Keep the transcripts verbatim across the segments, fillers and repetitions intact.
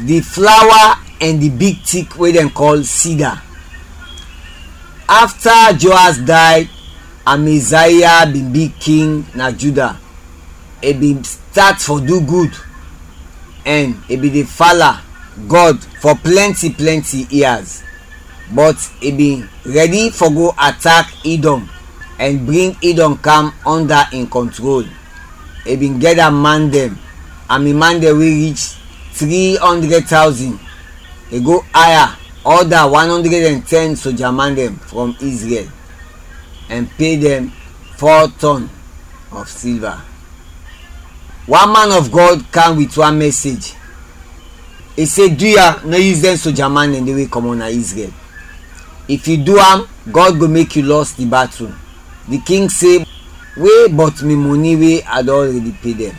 Di flawa ɛn di big tik we dɛn kɔl sida. Afta Joas day, Amaziah bin bi king na Juda. I bin stat fɔ du gud, ɛn i bin de fala Gɔd fɔ plɛnti plɛnti yias. But i bin rɛdi fɔ go atak Idɔm ɛn bring Idɔm kam ɔnda in kɔntrol. I bin gɛda man dɛn, ami man dɛn we rich tri ɔndrɛd tawzin. I go aya ɔda wan ɔndrɛd ɛn tɛn soja man dɛn frɔm Izrɛl ɛn pe dɛn fɔ tɔn of silva. Wan man of Gɔd kam wit wan mɛsej. I se, Duya, nɔ yus dɛn soja man dɛn de we kɔmɔt na Izrɛl. If yu du am, Gɔd go mek yu lɔs di batul. Di king se, We bɔt mi mɔni we a dɔn alredi pe dɛn?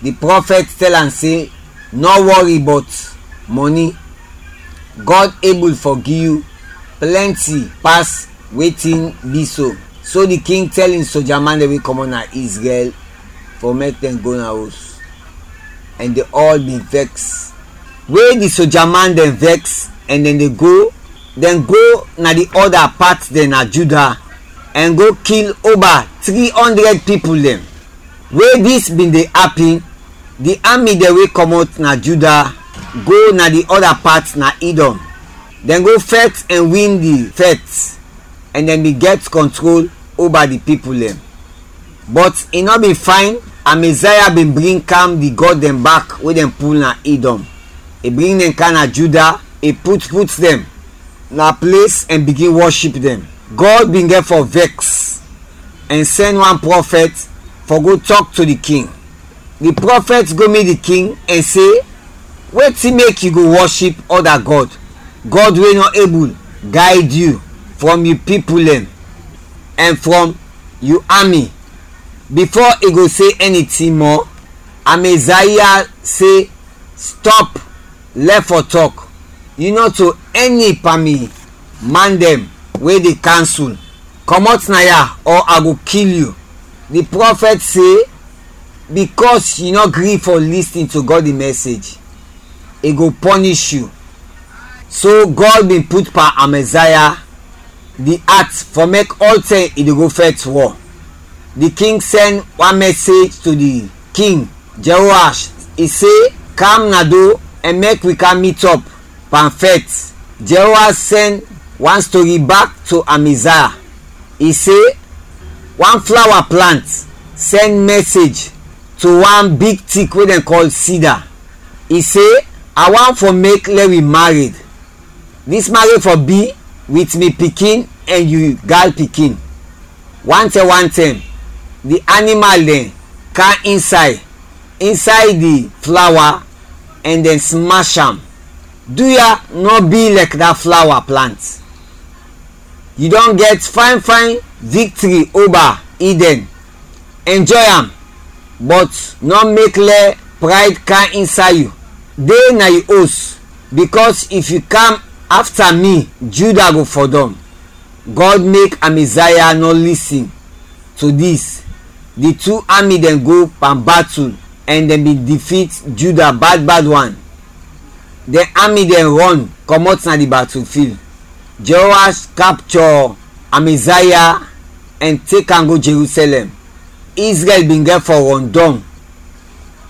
Di prɔfɛt tɛl am se, Nɔ wɔri bɔt mɔni, Gɔd ebul fɔ gi yu plɛnti pas wetin bi so. So di king tɛl in soja man dɛn we kɔmɔt na Izrɛl fɔ mek dɛn go na os, ɛn dɛn ɔl bin vɛks. We di soja man dɛn vɛks ɛn dɛn de go, dɛn go na di ɔda pat dɛn na Juda ɛn go kil oba tri ɔndrɛd pipul dɛn. We dis bin de apin, di ami dɛn we kɔmɔt na Juda go na di ɔda pat na Idɔm. Dɛn go fɛt ɛn win di fɛt, ɛn dɛn bin gɛt kɔntrol oba di pipul dɛn. Bɔt i nɔ bin fayn, Amaziah bin bring kam di gɔd dɛn bak we dɛn pul na Idɔm. I bring dɛn kam na Juda, i put put dɛn na ples ɛn bigin wɔship dɛn. Gɔd bin gɛt fɔ vɛks ɛn sɛn wan prɔfɛt fɔ go tɔk to di king. Di prɔfɛt go mit di king ɛn se, Wetin mek yu go wɔship ɔda gɔd, gɔd we nɔ ebul gayd yu frɔm yu pipul dɛn ɛn frɔm yu ami? Bifo i go se ɛnitin mɔ, Amaziah se, Stɔp! Lɛf fɔ tɔk! Yu nɔ to ɛni pan mi man dɛn we de kansul. Kɔmɔt naya ɔ a go kil yu. Di prɔfɛt se, Bikɔs yu nɔ gri fɔ lisin to Gɔd in mɛsej, i go pɔnish yu. So Gɔd bin put pan Amaziah di at fɔ mek ɔltɛm i de go fɛt wɔ. Di king sɛn wan mɛsej to di king Jehoash, i se, Kam na do ɛn mek wi kam mitɔp pan fɛt. Jehoash sɛn wan stori bak to Amaziah. I se, Wan flawa plant sɛn mɛsej to wan big tik we dɛn kɔl sida. I se, A want fɔ mek lɛ wi mared. Dis mared fɔ bi wit mi pikin ɛn yu gal pikin. Wantɛm wantɛm, di animal dɛn kam insay, insay di flawa ɛn dɛn smash am. Duya nɔ bi lɛk da flawa plant. Yu dɔn gɛt fayn fayn viktri oba Idɛn. Enjɔy am, bɔt nɔ mek lɛ prayd kam insay yu. De na yu os, bikɔs if yu kam afta mi, Juda go fɔdɔm. Gɔd mek Amaziah nɔ lisin to dis. Di tu ami dɛn go pan batul ɛn dɛn bin difit Juda bad bad wan. Dɛn ami dɛn rɔn kɔmɔt na di batul fil. Jehoash kapchɔ Amaziah ɛn tek am go Jerusɛlɛm. Izrɛl bin gɛt fɔ rɔndɔng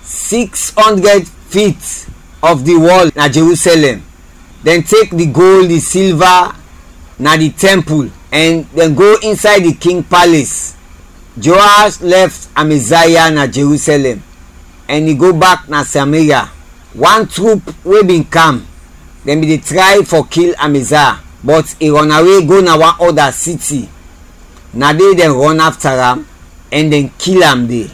siks ɔndrɛd fit of di wɔl na Jerusɛlɛm. Dɛn tek di gold, di silva na di tɛmpul ɛn dɛn go insay di king pales. Jehoash lɛf Amaziah na Jerusɛlɛm ɛn i go bak na Samaria. Wan trup we bin kam, dɛn bin de tray fɔ kil Amaziah, bɔt i rɔnawe go na wan ɔda siti. Na de dɛn rɔn afta am ɛn dɛn kil am de.